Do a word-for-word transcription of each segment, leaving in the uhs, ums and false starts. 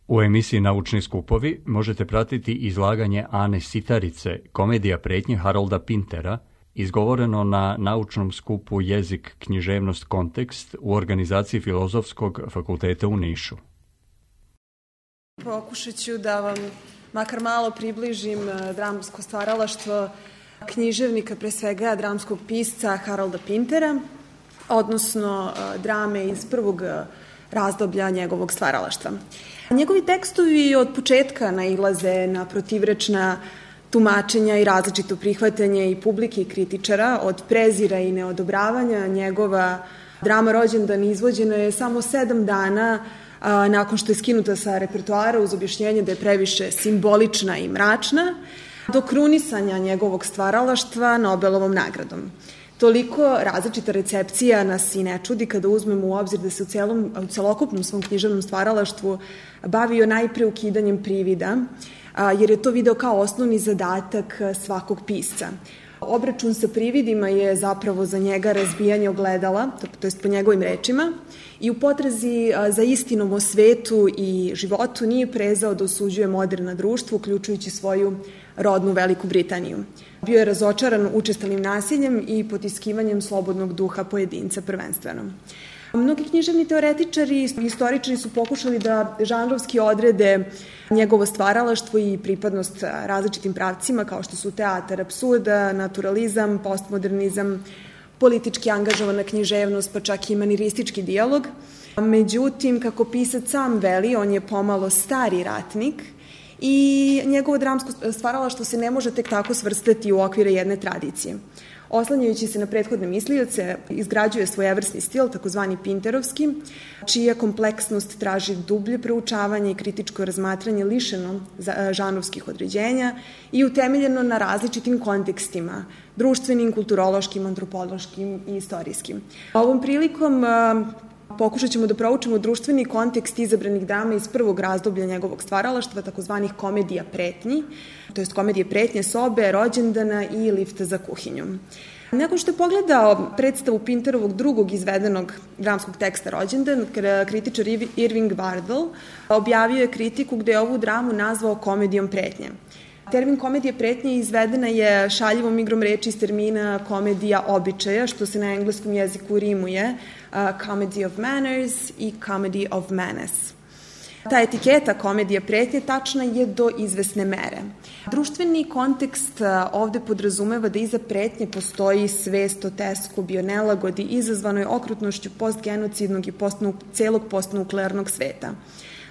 U emisiji Naučni skupovi možete pratiti izlaganje Ane Sitarice, komedija pretnje Harolda Pintera, izgovoreno na naučnom skupu Jezik, književnost, kontekst u organizaciji Filozofskog fakulteta u Nišu. Pokušat ću da vam makar malo približim dramsko stvaralaštvo književnika, pre svega dramskog pisca Harolda Pintera, odnosno drame iz prvog razdoblja njegovog stvaralaštva. Njegovi tekstovi od početka nailaze na protivrečna tumačenja i različito prihvatanje i publike i kritičara. Od prezira i neodobravanja njegova drama Rođendan izvođena je samo sedam dana a, nakon što je skinuta sa repertoara uz objašnjenje da je previše simbolična i mračna, do krunisanja njegovog stvaralaštva Nobelovom nagradom. Toliko različita recepcija nas i ne čudi kada uzmemo u obzir da se u, celom, u celokupnom svom književnom stvaralaštvu bavio najpre ukidanjem privida, jer je to video kao osnovni zadatak svakog pisca. Obračun sa prividima je zapravo za njega razbijanje ogledala, to je po njegovim rečima, i u potrazi za istinom o svetu i životu nije prezao da osuđuje moderna društvo, uključujući svoju rodnu Veliku Britaniju. Bio je razočaran učestalim nasiljem i potiskivanjem slobodnog duha pojedinca prvenstveno. Mnogi književni teoretičari i istoričari su pokušali da žanrovski odrede njegovo stvaralaštvo i pripadnost različitim pravcima kao što su teatar apsurda, naturalizam, postmodernizam, politički angažovana književnost, pa čak i maniristički dijalog. Međutim, kako pisac sam veli, on je pomalo stari ratnik i njegovo dramsko stvaralaštvo se ne može tek tako svrstati u okvire jedne tradicije. Oslanjajući se na prethodne mislioce, izgrađuje svojevrsni stil, takozvani pinterovski, čija kompleksnost traži dublje proučavanje i kritičko razmatranje lišeno žanrovskih određenja i utemeljeno na različitim kontekstima, društvenim, kulturološkim, antropološkim i istorijskim. Ovom prilikom pokušat ćemo da proučimo društveni kontekst izabranih drama iz prvog razdoblja njegovog stvaralaštva, takozvanih komedija pretnji, to jest komedije pretnje, Sobe, Rođendana i Lifta za kuhinjom. Nakon što je pogledao predstavu Pinterovog drugog izvedenog dramskog teksta Rođendan, kritičar Irving Wardle objavio je kritiku gde je ovu dramu nazvao komedijom pretnje. Termin komedije pretnje izvedena je šaljivom igrom reči iz termina komedija običaja, što se na engleskom jeziku rimuje uh, comedy of manners i comedy of menace. Ta etiketa komedija pretnje tačna je do izvesne mere. Društveni kontekst ovde podrazumeva da iza pretnje postoji svest o teskobi, o nelagodi izazvanoj okrutnošću postgenocidnog i postnu, celog postnuklearnog sveta.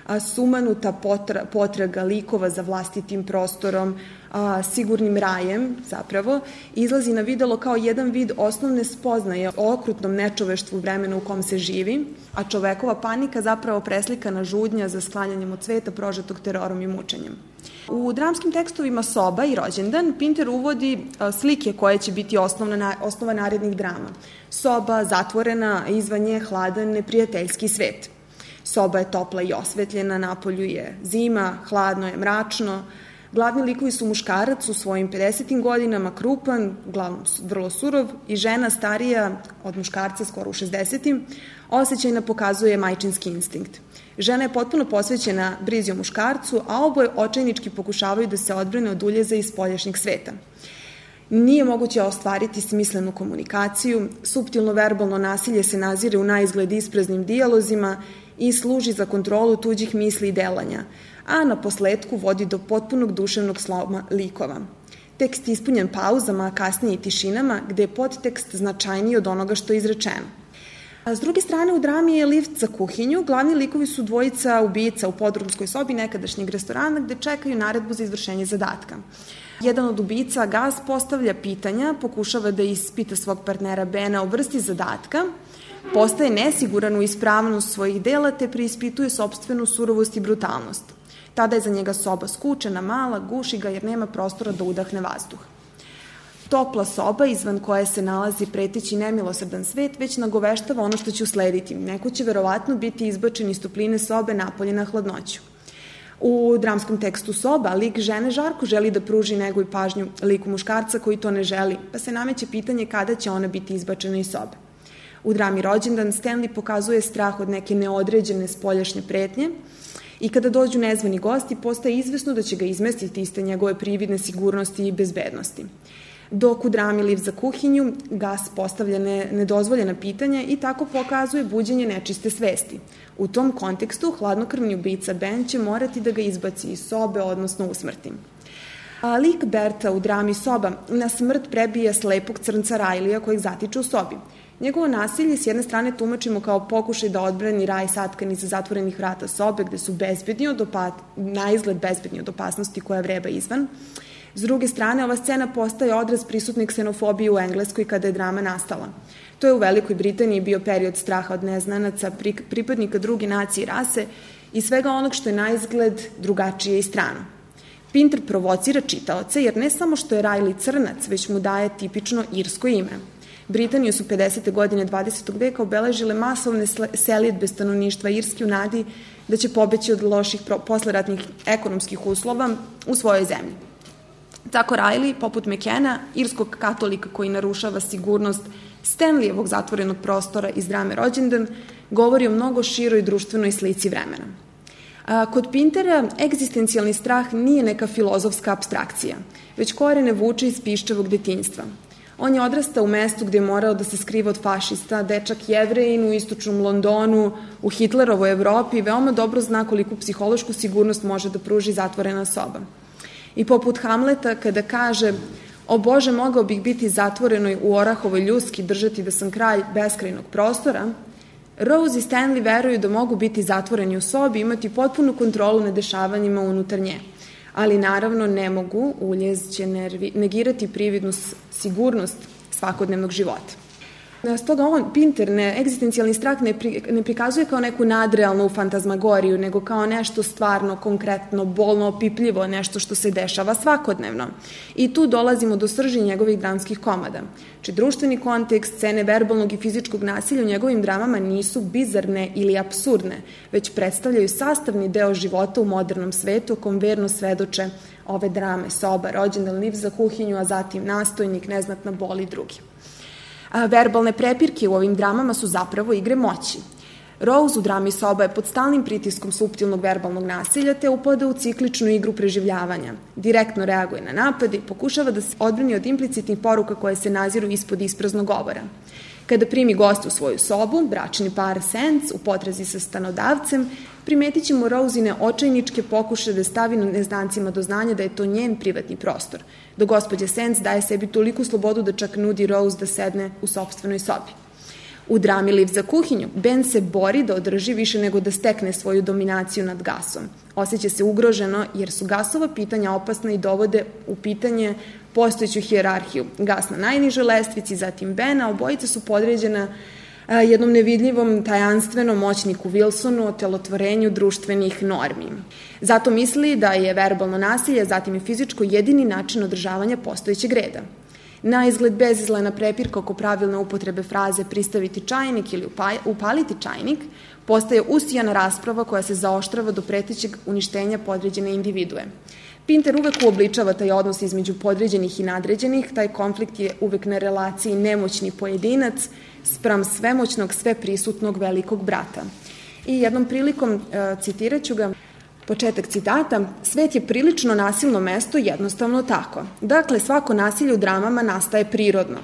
A, sumanuta potra, potraga likova za vlastitim prostorom, a, sigurnim rajem zapravo, izlazi na videlo kao jedan vid osnovne spoznaje o okrutnom nečoveštvu vremena u kom se živi, a čovekova panika zapravo preslikana žudnja za sklanjanjem od sveta prožetog terorom i mučenjem. U dramskim tekstovima Soba i Rođendan Pinter uvodi a, slike koje će biti osnovna, osnova narednih drama. Soba, zatvorena, izvan nje hladan, neprijateljski svet. Soba je topla i osvetljena, napolju je zima, hladno je, mračno. Glavni likovi su muškarac u svojim pedesetim godinama, krupan, uglavnom vrlo surov, i žena starija od muškarca, skoro u šezdesetim, osjećajna pokazuje majčinski instinkt. Žena je potpuno posvećena brizi o muškarcu, a oboje očajnički pokušavaju da se odbrane od uljeza iz spoljašnjeg sveta. Nije moguće ostvariti smislenu komunikaciju, suptilno verbalno nasilje se nazire u naizgled ispraznim dijalozima i služi za kontrolu tuđih misli i delanja, a na posledku vodi do potpunog duševnog sloma likova. Tekst je ispunjen pauzama, a kasnije i tišinama, gde je podtekst značajniji od onoga što je izrečeno. A s druge strane, u drami je Lift za kuhinju. Glavni likovi su dvojica ubica u podrumskoj sobi nekadašnjeg restorana gde čekaju naredbu za izvršenje zadatka. Jedan od ubica, Gas, postavlja pitanja, pokušava da ispita svog partnera Bena o vrsti zadatka, postaje nesiguran u ispravnost svojih dela te preispituje sopstvenu surovost i brutalnost. Tada je za njega soba skučena, mala, guši ga jer nema prostora da udahne vazduh. Topla soba izvan koje se nalazi preteći nemilosrdan svet već nagoveštava ono što će uslediti. Neko će verovatno biti izbačen iz topline sobe napolje na hladnoću. U dramskom tekstu Soba lik žene žarko želi da pruži negu i pažnju liku muškarca koji to ne želi, pa se nameće pitanje kada će ona biti izbačena iz sobe. U drami Rođendan Stanley pokazuje strah od neke neodređene spoljašnje pretnje I kada dođu nezvani gosti, postaje izvesno da će ga izmestiti iz te njegove prividne sigurnosti i bezbednosti. Dok u drami Liv za kuhinju Gas postavlja ne, nedozvoljena pitanja i tako pokazuje buđenje nečiste svesti. U tom kontekstu hladnokrvni ubica Ben će morati da ga izbaci iz sobe, odnosno usmrti. A lik Berta u drami Soba na smrt prebije slepog crnca Rajlija kojeg zatiče u sobi. Njegovo nasilje s jedne strane tumačimo kao pokušaj da odbrani raj satkan iza zatvorenih vrata sobe gde su bezbedni od opa... na izgled bezbedni od opasnosti koja vreba izvan. S druge strane, ova scena postaje odraz prisutne ksenofobije u Engleskoj kada je drama nastala. To je u Velikoj Britaniji bio period straha od neznanaca, pripadnika druge nacije i rase i svega onog što je na izgled drugačije i strano. Pinter provocira čitaoce jer ne samo što je Riley crnac, već mu daje tipično irsko ime. Britaniju su pedesete godine dvadesetog veka obeležile masovne selidbe stanovništva Irske u nadi da će pobeći od loših posleratnih ekonomskih uslova u svojoj zemlji. Tako Riley, poput Mekena, irskog katolika koji narušava sigurnost Stanleyevog zatvorenog prostora iz drame Rođendan, govori o mnogo široj društvenoj slici vremena. A, kod Pintera egzistencijalni strah nije neka filozofska apstrakcija, već korene vuče iz piščevog detinjstva. On je odrastao u mestu gde je morao da se skriva od fašista, dečak Jevrejin u istočnom Londonu, u Hitlerovoj Evropi, veoma dobro zna koliku psihološku sigurnost može da pruži zatvorena soba. I poput Hamleta kada kaže o Bože, mogao bih biti zatvorenoj u orahovoj ljuski, držati da sam kralj beskrajnog prostora, Rose i Stanley veruju da mogu biti zatvoreni u sobi i imati potpunu kontrolu nad dešavanjima unutar nje. Ali naravno ne mogu, uljez će negirati prividnu sigurnost svakodnevnog života. Stoga on, Pinter, ne, egzistencijalni strah ne, pri, ne prikazuje kao neku nadrealnu fantazmagoriju, nego kao nešto stvarno, konkretno, bolno, opipljivo, nešto što se dešava svakodnevno. I tu dolazimo do srži njegovih dramskih komada. Či društveni kontekst, scene verbalnog i fizičkog nasilja u njegovim dramama nisu bizarne ili apsurdne, već predstavljaju sastavni deo života u modernom svetu, o kom verno svedoče ove drame, Soba, Rođendan, Liv za kuhinju, a zatim Nastojnik, Neznatna bol i drugi. A, verbalne prepirke u ovim dramama su zapravo igre moći. Rose u drami Soba je pod stalnim pritiskom suptilnog verbalnog nasilja te upada u cikličnu igru preživljavanja. Direktno reaguje na napade i pokušava da se odbrani od implicitnih poruka koje se naziru ispod ispraznog govora. Kada primi gosta u svoju sobu, bračni par Sands u potrazi sa stanodavcem, primetit ćemo Rosine očajničke pokušaje da stavi neznancima do znanja da je to njen privatni prostor, dok gospođa Sands daje sebi toliku slobodu da čak nudi Rose da sedne u sopstvenoj sobi. U drami Liv za kuhinju, Ben se bori da održi više nego da stekne svoju dominaciju nad Gasom. Osjeća se ugroženo jer su Gasova pitanja opasna i dovode u pitanje postojeću hijerarhiju. Gas na najnižoj lestvici, zatim Ben, a obojica su podređena jednom nevidljivom, tajanstvenom moćniku Wilsonu o telotvorenju društvenih normi. Zato misli da je verbalno nasilje, zatim i fizičko, jedini način održavanja postojećeg reda. Na izgled bezizlena prepirka oko pravilne upotrebe fraze pristaviti čajnik ili upaliti čajnik postaje usijana rasprava koja se zaoštrava do pretećeg uništenja podređene individue. Pinter uvek uobličava taj odnos između podređenih i nadređenih, taj konflikt je uvek na relaciji nemoćni pojedinac spram svemoćnog, sveprisutnog velikog brata. I jednom prilikom, citirat ću ga, početak citata, svet je prilično nasilno mesto, jednostavno tako. Dakle, svako nasilje u dramama nastaje prirodno.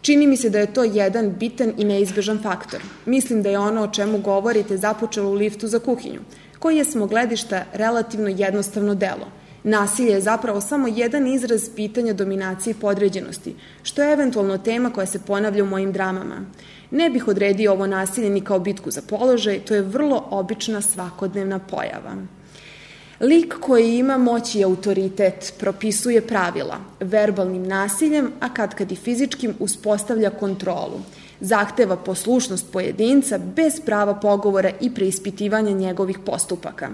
Čini mi se da je to jedan bitan i neizbežan faktor. Mislim da je ono o čemu govorite započelo u Liftu za kuhinju, koji je s mog gledišta relativno jednostavno delo. Nasilje je zapravo samo jedan izraz pitanja dominacije i podređenosti, što je eventualno tema koja se ponavlja u mojim dramama. Ne bih odredio ovo nasilje ni kao bitku za položaj, to je vrlo obična svakodnevna pojava. Lik koji ima moć i autoritet propisuje pravila, verbalnim nasiljem, a kad kad i fizičkim uspostavlja kontrolu. Zahteva poslušnost pojedinca bez prava pogovora i preispitivanja njegovih postupaka.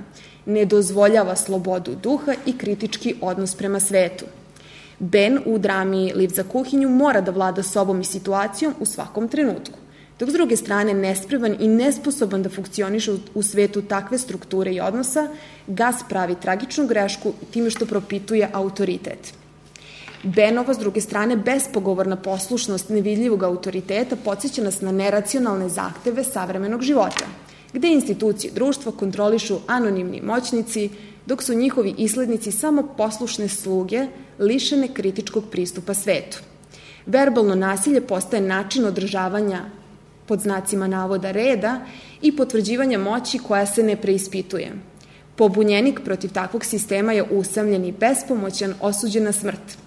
Ne dozvoljava slobodu duha i kritički odnos prema svetu. Ben u drami Liv za kuhinju mora da vlada sobom i situacijom u svakom trenutku, dok s druge strane nespreman i nesposoban da funkcioniše u svetu takve strukture i odnosa, Gas pravi tragičnu grešku time što propituje autoritet. Benova, s druge strane, bespogovorna poslušnost nevidljivog autoriteta podsjeća nas na neracionalne zahteve savremenog života. gde institucije društva kontrolišu anonimni moćnici, dok su njihovi islednici samo poslušne sluge lišene kritičkog pristupa svetu. Verbalno nasilje postaje način održavanja pod znacima navoda reda i potvrđivanja moći koja se ne preispituje. Pobunjenik protiv takvog sistema je usamljen i bespomoćan, osuđen na smrt.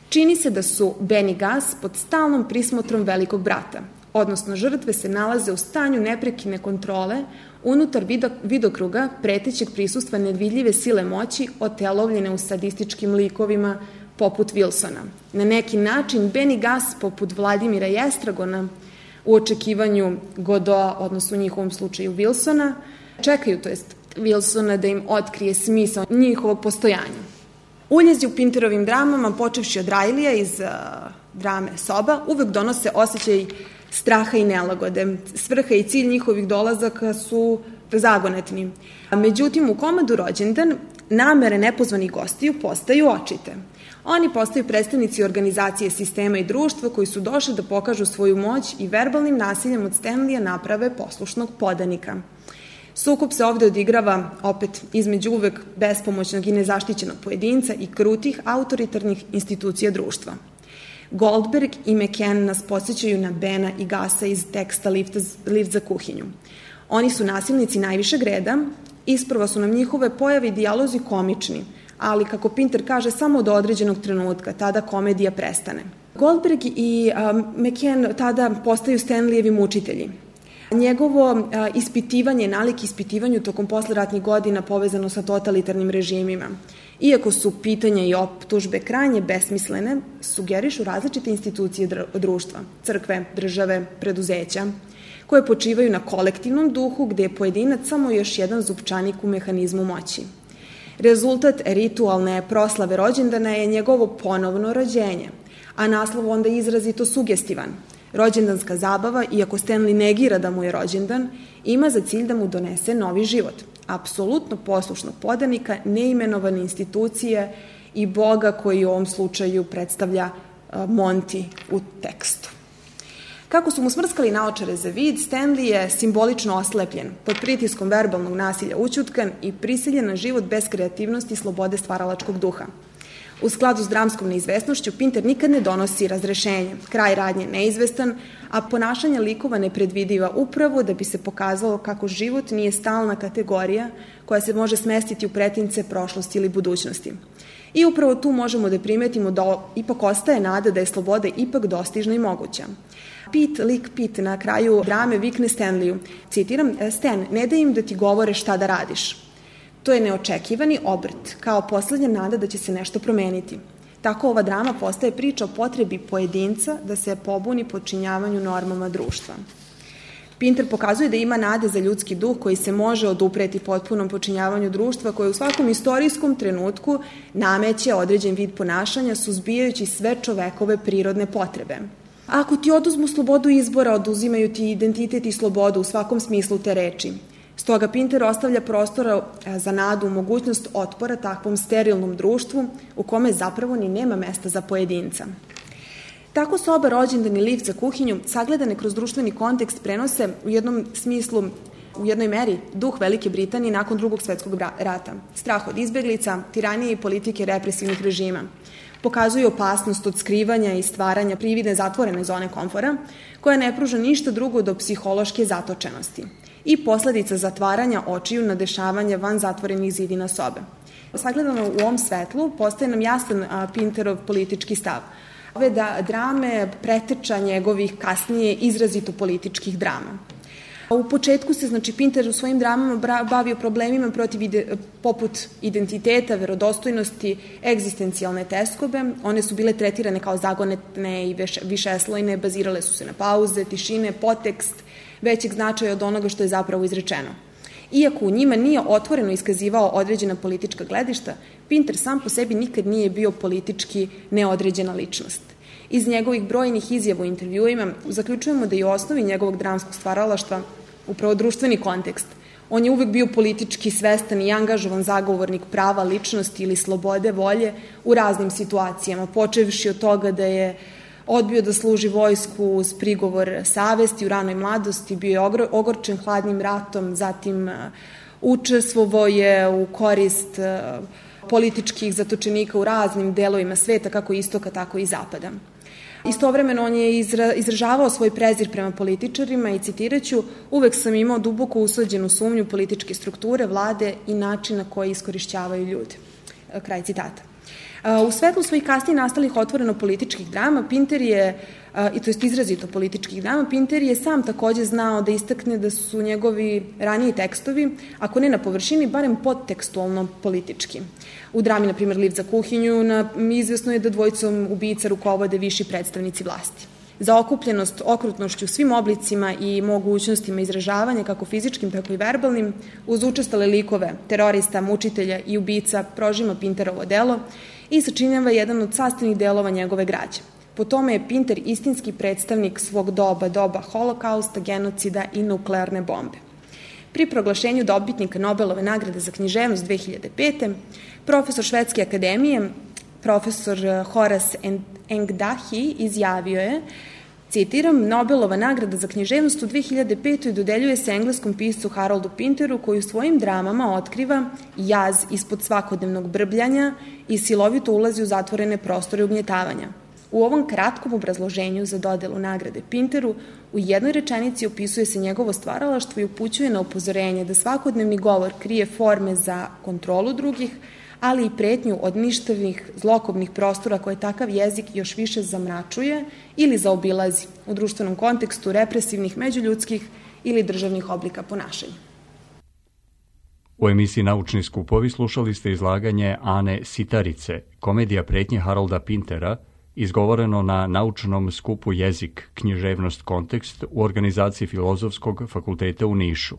Čini se da su Ben i Gus pod stalnom prismotrom velikog brata, odnosno žrtve se nalaze u stanju neprekine kontrole unutar vidokruga pretećeg prisustva nevidljive sile moći otelovljene u sadističkim likovima poput Wilsona. Na neki način Ben i Gus, poput Vladimira i Estragona, u očekivanju Godoa, odnosno u njihovom slučaju Wilsona, čekaju, to jest Wilsona, da im otkrije smisao njihovog postojanja. Uljezi u Pinterovim dramama, počevši od Rajlija iz uh, drame Soba, uvek donose osjećaj straha i nelagode. Svrha i cilj njihovih dolazaka su zagonetni. Međutim, u komadu Rođendan namere nepozvanih gostiju postaju očite. Oni postaju predstavnici organizacije sistema i društva koji su došli da pokažu svoju moć i verbalnim nasiljem od Stanleya naprave poslušnog podanika. Sukob se ovde odigrava opet između uvek bespomoćnog i nezaštićenog pojedinca i krutih autoritarnih institucija društva. Goldberg i McCann nas podsjećaju na Bena i Gusa iz teksta Lift, Lift za kuhinju. Oni su nasilnici najvišeg reda, isprva su nam njihove pojave i dijalozi komični, ali, kako Pinter kaže, samo do određenog trenutka, tada komedija prestane. Goldberg i um, McCann tada postaju Stanleyevi mučitelji. Njegovo uh, ispitivanje, nalik ispitivanju tokom posleratnih godina povezano sa totalitarnim režimima. Iako su pitanja i optužbe krajnje besmislene, sugerišu različite institucije društva, crkve, države, preduzeća, koje počivaju na kolektivnom duhu gde je pojedinac samo još jedan zupčanik u mehanizmu moći. Rezultat ritualne proslave rođendana je njegovo ponovno rođenje, a naslov onda je izrazito sugestivan. Rođendanska zabava, iako Stanley negira da mu je rođendan, ima za cilj da mu donese novi život. Apsolutno poslušnog podanika, neimenovane institucije i Boga koji u ovom slučaju predstavlja Monty u tekstu. Kako su mu smrskali naočare za vid, Stanley je simbolično oslepljen, pod pritiskom verbalnog nasilja ućutkan i prisiljen na život bez kreativnosti i slobode stvaralačkog duha. U skladu s dramskom neizvesnošću, Pinter nikad ne donosi razrešenje, kraj radnje neizvestan, a ponašanje likova nepredvidiva upravo da bi se pokazalo kako život nije stalna kategorija koja se može smestiti u pretince prošlosti ili budućnosti. I upravo tu možemo da primetimo da ipak ostaje nada da je sloboda ipak dostižna i moguća. Pete, lik Pete na kraju drame vikne Stanleyu, citiram, Stan, ne daj im da ti govore šta da radiš. To je neočekivani obrt, kao poslednja nada da će se nešto promeniti. Tako ova drama postaje priča o potrebi pojedinca da se pobuni podčinjavanju normama društva. Pinter pokazuje da ima nade za ljudski duh koji se može odupreti potpunom počinjavanju društva koje u svakom istorijskom trenutku nameće određen vid ponašanja suzbijajući sve čovekove prirodne potrebe. Ako ti oduzmu slobodu izbora, oduzimaju ti identitet i slobodu u svakom smislu te reči. Stoga Pinter ostavlja prostora za nadu, mogućnost otpora takvom sterilnom društvu u kome zapravo ni nema mesta za pojedinca. Tako Soba, Rođendan i Lift za kuhinju, sagledane kroz društveni kontekst, prenose u jednom smislu, u jednoj meri, duh Velike Britanije nakon drugog svetskog rata. Strah od izbeglica, tiranije i politike represivnih režima. Pokazuju opasnost od skrivanja i stvaranja prividne zatvorene zone komfora, koja ne pruža ništa drugo do psihološke zatočenosti i posledica zatvaranja očiju na dešavanje van zatvorenih zidina sobe. Sagledano u ovom svetlu, postaje nam jasan Pinterov politički stav. Ove da drame preteča njegovih kasnije izrazito političkih drama. U početku se, znači, Pinter u svojim dramama bavio problemima protiv ide, poput identiteta, verodostojnosti, egzistencijalne teskobe. One su bile tretirane kao zagonetne i višeslojne, bazirale su se na pauze, tišine, potekst, većeg značaja od onoga što je zapravo izrečeno. Iako u njima nije otvoreno iskazivao određena politička gledišta, Pinter sam po sebi nikad nije bio politički neodređena ličnost. Iz njegovih brojnih izjava u intervjuima zaključujemo da je u osnovi njegovog dramskog stvaralaštva upravo društveni kontekst. On je uvek bio politički svestan i angažovan zagovornik prava, ličnosti ili slobode volje u raznim situacijama, počevši od toga da je Odbio da služi vojsku uz prigovor savesti u ranoj mladosti, bio je ogorčen hladnim ratom, zatim učestvovao je u korist političkih zatočenika u raznim delovima sveta, kako istoka, tako i zapada. Istovremeno on je izražavao svoj prezir prema političarima i citiraću, uvek sam imao duboko usuđenu sumnju političke strukture, vlade i načina koji iskorišćavaju ljude. Kraj citata. U svetlu svojih kasnije nastalih otvoreno političkih drama, Pinter je, i to jest izrazito političkih drama, Pinter je sam takođe znao da istakne da su njegovi raniji tekstovi, ako ne na površini, barem podtekstualno politički. U drami, na primjer, Liv za kuhinju, izvesno je da dvojicom ubica rukovode viši predstavnici vlasti. Zaokupljenost okrutnošću svim oblicima i mogućnostima izražavanja, kako fizičkim, tako i verbalnim, uz učestale likove terorista, mučitelja i ubica, prožima Pinterovo delo i sačinjava jedan od sastavnih delova njegove građe. Po tome je Pinter istinski predstavnik svog doba, doba holokausta, genocida i nuklearne bombe. Pri proglašenju dobitnika Nobelove nagrade za književnost dve hiljade pete. profesor Švedske akademije, profesor Horace Engdahl izjavio je, citiram, Nobelova nagrada za književnost u dve hiljade petoj. dodeljuje se engleskom piscu Haroldu Pinteru, koji u svojim dramama otkriva jaz ispod svakodnevnog brbljanja i silovito ulazi u zatvorene prostore ugnjetavanja. U ovom kratkom obrazloženju za dodelu nagrade Pinteru u jednoj rečenici opisuje se njegovo stvaralaštvo i upućuje na upozorenje da svakodnevni govor krije forme za kontrolu drugih, ali i pretnju od ništavnih, zlokobnih prostora koje takav jezik još više zamračuje ili zaobilazi u društvenom kontekstu represivnih, međuljudskih ili državnih oblika ponašanja. U emisiji Naučni skupovi slušali ste izlaganje Ane Sitarice, komedija pretnje Harolda Pintera, izgovoreno na naučnom skupu Jezik, književnost, kontekst u organizaciji Filozofskog fakulteta u Nišu.